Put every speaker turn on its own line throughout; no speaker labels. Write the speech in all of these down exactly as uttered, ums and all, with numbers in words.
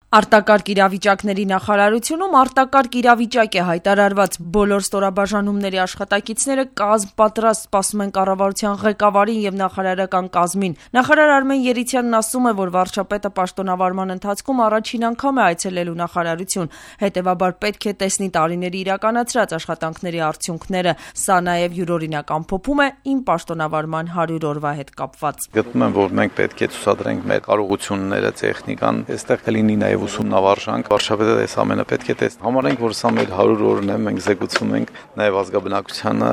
Արտակարգ իրավիճակների նախարարությունում արտակարգ իրավիճակ է հայտարարված, բոլոր ստորաբաժանումների աշխատակիցները կազմ պատրաստ սպասում են կառավարության ղեկավարին և նախարարական կազմին։ Նախարար Արմեն Երիցյանն ասում է, որ վարչապետը պաշտոնավարման ընթացքում առաջին անգամ է այցելելու նախարարություն, հետևաբար պետք է տեսնի տարիների իրականացրած աշխատանքների արդյունքները։ Սա նաև յուրօրինակ ամփոփում է իմ պաշտոնավարման հարյուր օրվա հետ կապված։
Գտնում եմ, որ մենք պետք է ցուցադրենք մեր կարողությունները, տեխնիկան, այստեղ կլինի նաև ուսումնավարժանք, վարչապետը այս ամենը պետք է տեսնի։ Համարենք, որ սա մեր հարյուր օրն է, մենք զեկուցում ենք նաև ազգաբնակչությանը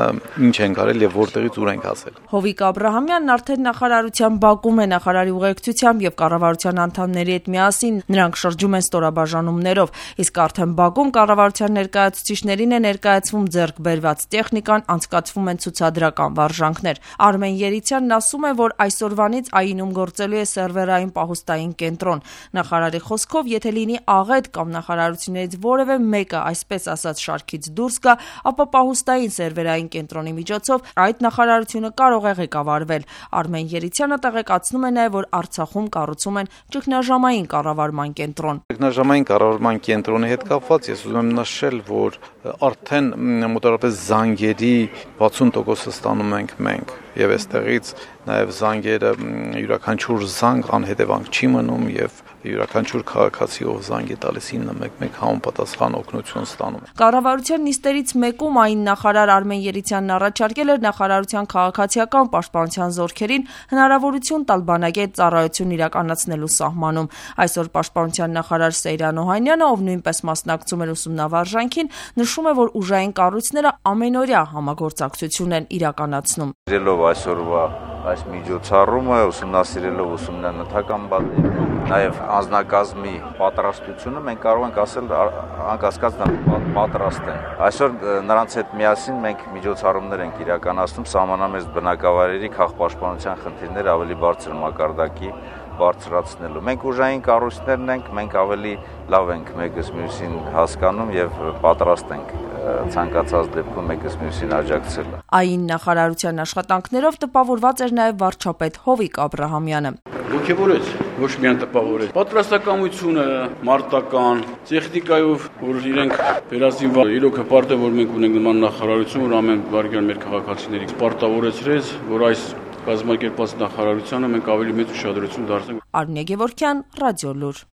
ինչ ենք արել եւ որտեղից ուր ենք հասել։
Հովիկ Աբրահամյանն արդեն նախարարության բակում է նախարարի ուղեկցությամբ եւ կառավարության անդամների հետ միասին նրանք շրջում են ստորաբաժանումներով, իսկ արդեն բակում կառավարության ներկայացուցիչներին է ներկայացվում ձեռք բերված տեխնիկան, անցկացվում են ցուցադրական վարժանքներ։ Արմեն Երիցյանն ասում է, որ այսօրվանից ԱԻՆ-ում գործելու է սերվերային պահոստային կենտրոն։ Նախարարի խոսքով, եթե լինի աղետ կամ նախարարություններից որևէ մեկը, այսպես ասած, շարքից դուրս գա, ապա պահոստային սերվերային կենտրոնի միջոցով այդ նախարարությունը կարող է ղեկավարվել։ Արմեն Երիցյանը տեղեկացնում է նաև, որ Արցախում կառուցում են ճգնաժամային կառավարման կենտրոն։
Ճգնաժամային կառավարման կենտրոնի հետ կապված ես ուզում եմ նշել, որ արդեն մոտավորապես զանգերի վաթսուն տոկոսը ստանում ենք մենք եւ այստեղից նաեւ զանգերը յուրաքանչյուր զանգ անհետևանք չի մնում եւ յուրաքանչյուր քաղաքացի ով զանգ է տալիս ինը մեկ մեկ համապատասխան օգնություն ստանում։
Կառավարության նիստերից մեկում այն նախարար Արմեն Երիցյանն առաջարկել էր նախարարության քաղաքացիական պաշտպանության զորքերին հնարավորություն տալ բանակետ ծառայություն իրականացնելու սահմանում։ Այսօր պաշտպանության նախարար Սեյրան Օհանյանը, ով նույնպես մասնակցում էր ուսումնավարժանքին, նշում է, որ ուժային կառույցները ամենօրյա համագործակցություն են իրականացնում։
Իրելով այսօրվա այս միջոցառումը, ուսումնասիրելով ուսումնանյութական բաններ, նաև անձնակազմի պատրաստությունը, մենք կարող ենք ասել անկասկած պատրաստ են։ Այսօր նրանց հետ միասին մենք միջոցառումներ ենք իրականացնում սահմանամերձ բնակավայրերի քաղաքապաշտպանության խնդիրները ավելի բարձր մակարդակի բարձրացնելու։ Մենք ուժային կառույցներն ենք, մենք ավելի լավ ենք մեկս մյուսին հասկանում եւ պատրաստ ենք ցանկացած դեպքում մեկս մյուսին աջակցել։
ԱԻՆ նախարարության աշխատանքներով տպավորված էր նաև վարչապետ Հովիկ Աբրահամյանը։
Ոգևորեց, ոչ միայն տպավորեց։ Պատրաստակամությունը, մարտական, տեխնիկայով, որ իրենք վերածին իրոք հպարտ է, որ մենք ունենք նման նախարարություն, որ ամեն վարքյան մեր քաղաքացիների պարտավորեցրեց, որ այս կազմակերպած նախարարությանը մենք ավելի մեծ ուշադրություն դարձնենք։
Արմինե Գևորգյան, Ռադիոլուր։